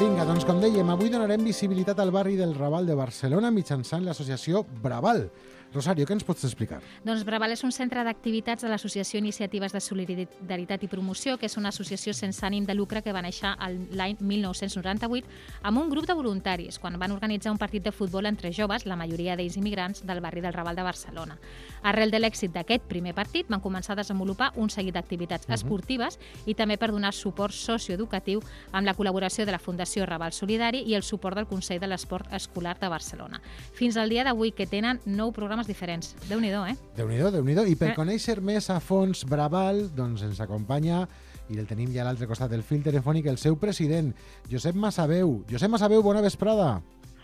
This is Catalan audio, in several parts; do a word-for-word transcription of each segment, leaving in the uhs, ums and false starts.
Vinga, doncs com dèiem, avui donarem visibilitat al barri del Raval de Barcelona mitjançant l'associació Braval. Rosario, què ens pots explicar? Doncs Braval és un centre d'activitats de l'Associació Iniciatives de Solidaritat i Promoció, que és una associació sense ànim de lucre que va néixer l'any mil nou-cents noranta-vuit amb un grup de voluntaris, quan van organitzar un partit de futbol entre joves, la majoria d'ells immigrants, del barri del Raval de Barcelona. Arrel de l'èxit d'aquest primer partit, van començar a desenvolupar un seguit d'activitats uh-huh. esportives i també per donar suport socioeducatiu amb la col·laboració de la Fundació Raval Solidari i el suport del Consell de l'Esport Escolar de Barcelona. Fins al dia d'avui, que tenen nou programes diferents. Déu-n'hi-do, eh? Déu-n'hi-do, Déu-n'hi-do. I per eh. conèixer més a fons Braval, doncs ens acompanya, i el tenim ja a l'altre costat del fil telefònic, el seu president, Josep Massaveu. Josep Massaveu, bona vesprada.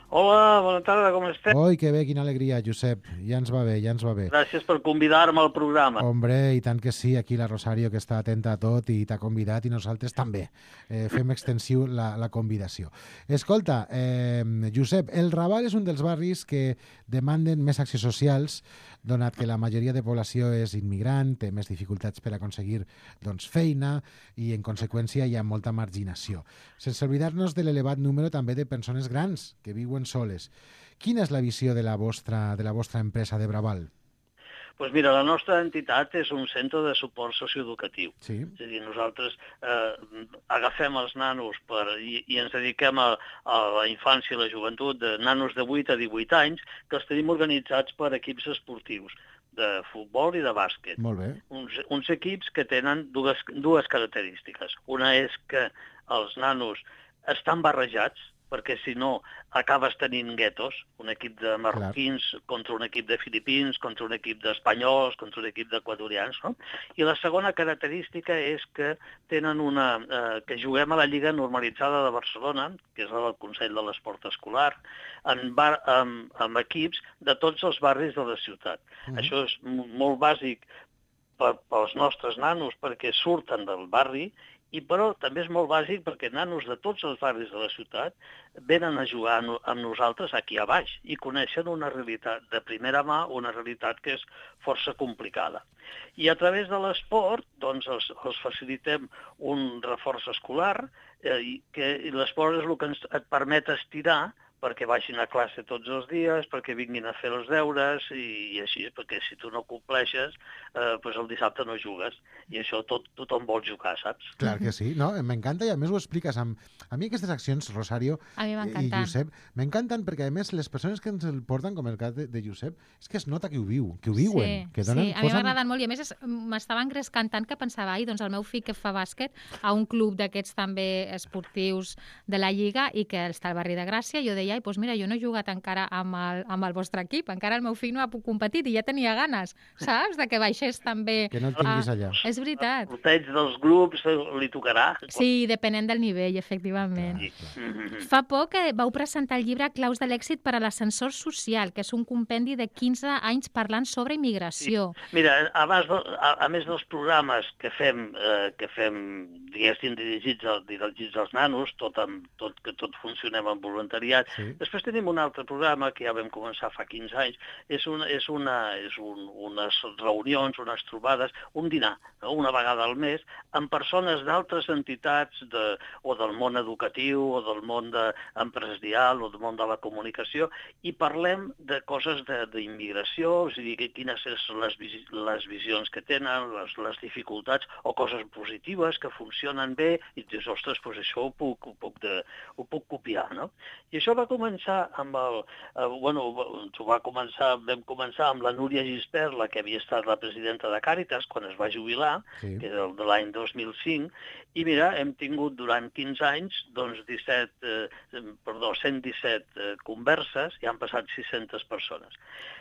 Hola, bona tarda, com esteu? Oi, que bé, quina alegria, Josep. Ja ens va bé, ja ens va bé. Gràcies per convidar-me al programa. Hombre, i tant que sí, aquí la Rosario, que està atenta a tot i t'ha convidat, i nosaltres també. Eh, fem extensiu la, la convidació. Escolta, eh, Josep, el Raval és un dels barris que demanden més accions socials, donat que la majoria de població és immigrant, té més dificultats per aconseguir doncs, feina i, en conseqüència, hi ha molta marginació. Sense oblidar-nos de l'elevat número també de persones grans que viuen soles. Quina és la visió de la vostra, de la vostra empresa de Braval? Doncs mira, la nostra entitat és un centre de suport socioeducatiu. Sí. És a dir, nosaltres eh, agafem els nanos per, i, i ens dediquem a, a la infància i la joventut de nanos de vuit a divuit anys, que els tenim organitzats per equips esportius de futbol i de bàsquet. Molt bé. Uns, uns equips que tenen dues, dues característiques. Una és que els nanos estan barrejats, perquè si no acabes tenint guetos, un equip de marroquins Clar. contra un equip de filipins, contra un equip d'espanyols, contra un equip d'equatorians, no? I la segona característica és que tenen una, eh, que juguem a la Lliga Normalitzada de Barcelona, que és la del Consell de l'Esport Escolar, en bar, amb, amb equips de tots els barris de la ciutat. Mm-hmm. Això és molt bàsic per, pels nostres nanos, perquè surten del barri, i però també és molt bàsic perquè nanos de tots els barris de la ciutat venen a jugar amb nosaltres aquí a baix i coneixen una realitat de primera mà, una realitat que és força complicada. I a través de l'esport doncs els, els facilitem un reforç escolar eh, i que l'esport és el que ens et permet estirar perquè vagin a classe tots els dies, perquè vinguin a fer els deures i, i així, perquè si tu no compleixes, eh, doncs el dissabte no jugues. I això tot, tothom vol jugar, saps? Clar que sí, no? M'encanta i a més ho expliques. Amb... A mi aquestes accions, Rosario i Josep, m'encanten perquè a més les persones que ens el porten, com el cas de, de Josep, és que es nota que ho viu, que ho viuen. Sí, que donen, sí. a mi posen... m'agraden molt i a més m'estava engrescant tant que pensava, ai, doncs el meu fill que fa bàsquet a un club d'aquests també esportius de la Lliga i que està al barri de Gràcia, jo deia, ai, doncs mira, jo no he jugat encara amb el, amb el vostre equip, encara el meu fill no ha competit i ja tenia ganes, saps? De que baixés també. Que no el tinguis allà. Ah, és veritat. El sorteig dels grups li tocarà. Sí, depenent del nivell, efectivament. Sí. Fa poc que vau presentar el llibre Claus de l'èxit per a l'ascensor social, que és un compendi de quinze anys parlant sobre immigració. Sí. Mira, abans de, a, a més dels programes que fem, eh, que fem diguéssim, dirigits, al, dirigits als nanos, tot, amb, tot, que tot funcionem amb voluntariat, sí. Després tenim un altre programa que ja vam començar fa quinze anys, és, una, és, una, és un, unes reunions, unes trobades, un dinar, no? Una vegada al mes, amb persones d'altres entitats de, o del món educatiu o del món de, empresarial o del món de la comunicació i parlem de coses d'immigració, o sigui, quines són les, les visions que tenen, les, les dificultats o coses positives que funcionen bé i dius, ostres, doncs això ho puc, ho puc, de, ho puc copiar, no? I això va començar amb el... Eh, bueno, va començar, vam començar amb la Núria Gispert, la que havia estat la presidenta de Càritas quan es va jubilar, sí. Que és el de l'any dos mil cinc, i mira, hem tingut durant quinze anys doncs disset, eh, perdó, cent disset eh, converses i han passat sis-centes persones.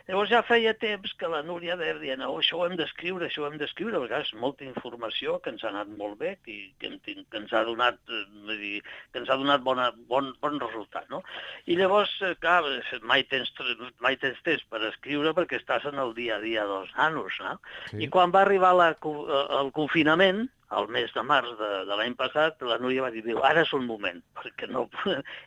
Llavors ja feia temps que la Núria deia, no, això ho hem d'escriure, això ho hem d'escriure, perquè és molta informació que ens ha anat molt bé, que, que, que ens ha donat, eh, dir, que ens ha donat bona, bon, bon resultat, no? I llavors, clar, mai tens, mai tens temps per escriure perquè estàs en el dia a dia dels nanos, no? Sí. I quan va arribar la, el confinament, al mes de març de, de l'any passat, la Núria va dir, ara és un moment, perquè no...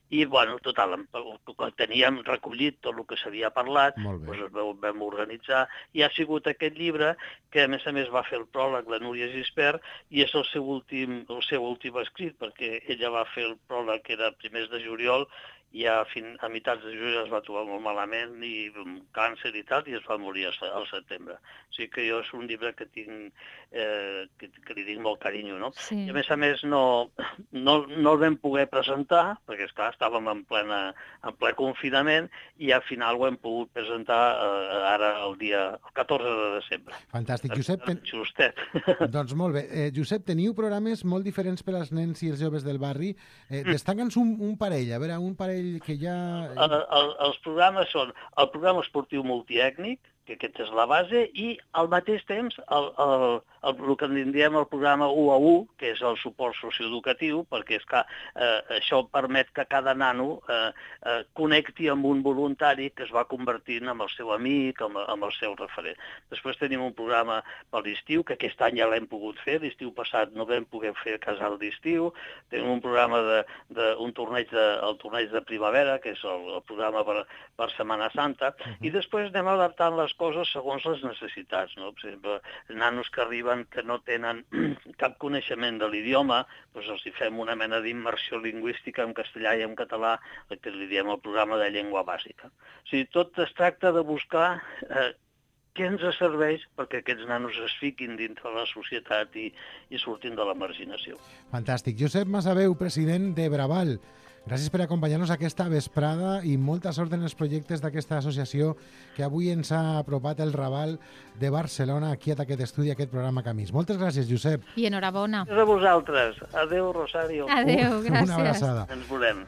I, bueno, total, quan teníem recollit tot el que s'havia parlat, doncs es vam organitzar, i ha sigut aquest llibre que, a més a més, va fer el pròleg la Núria Gispert, i és el seu últim, el seu últim escrit, perquè ella va fer el pròleg, que era a primers de juliol, i a, fin, a meitats de juliol es va trobar molt malament, i amb càncer i tal, i es va morir al setembre. O sigui que jo és un llibre que tinc, eh, que, que li tinc molt carinyo, no? Sí. I a més a més no, no, no el vam poder presentar, perquè esclar, estàvem en, plena, en ple confinament, i al final ho hem pogut presentar eh, ara el dia el catorze de desembre. Fantàstic. Josep, ten... Justet. Doncs molt bé. Eh, Josep, teniu programes molt diferents per als nens i els joves del barri. Eh, Destaca'ns un, un parell, a veure, un parell que ja... El, el, els programes són el programa esportiu multiètnic, que aquesta és la base, i al mateix temps el, el, el, el que en diem el programa u a u, que és el suport socioeducatiu, perquè és que, eh, això permet que cada nano eh, eh, connecti amb un voluntari que es va convertint en el seu amic, amb, amb el seu referent. Després tenim un programa per l'estiu, que aquest any ja l'hem pogut fer, l'estiu passat no vam poder fer casal d'estiu, tenim un programa de, de un torneig de, el torneig de primavera, que és el, el programa per, per Setmana Santa, uh-huh. I després anem adaptant les coses segons les necessitats, no? Per exemple, nanos que arriben que no tenen cap coneixement de l'idioma, doncs els hi fem una mena d'immersió lingüística en castellà i en català, el que li diem el programa de llengua bàsica. O sigui, tot es tracta de buscar eh, què ens serveix perquè aquests nanos es fiquin dintre la societat i, i surtin de la marginació. Fantàstic. Josep Masaveu, president de Braval. Gràcies per acompanyar-nos aquesta vesprada i molta sort en els projectes d'aquesta associació que avui ens ha apropat el Raval de Barcelona aquí a aquest estudi, a aquest programa Camins. Moltes gràcies, Josep. I enhorabona. Gràcies a vosaltres. Adéu, Rosario. Adéu, gràcies. Una abraçada. Ens volem.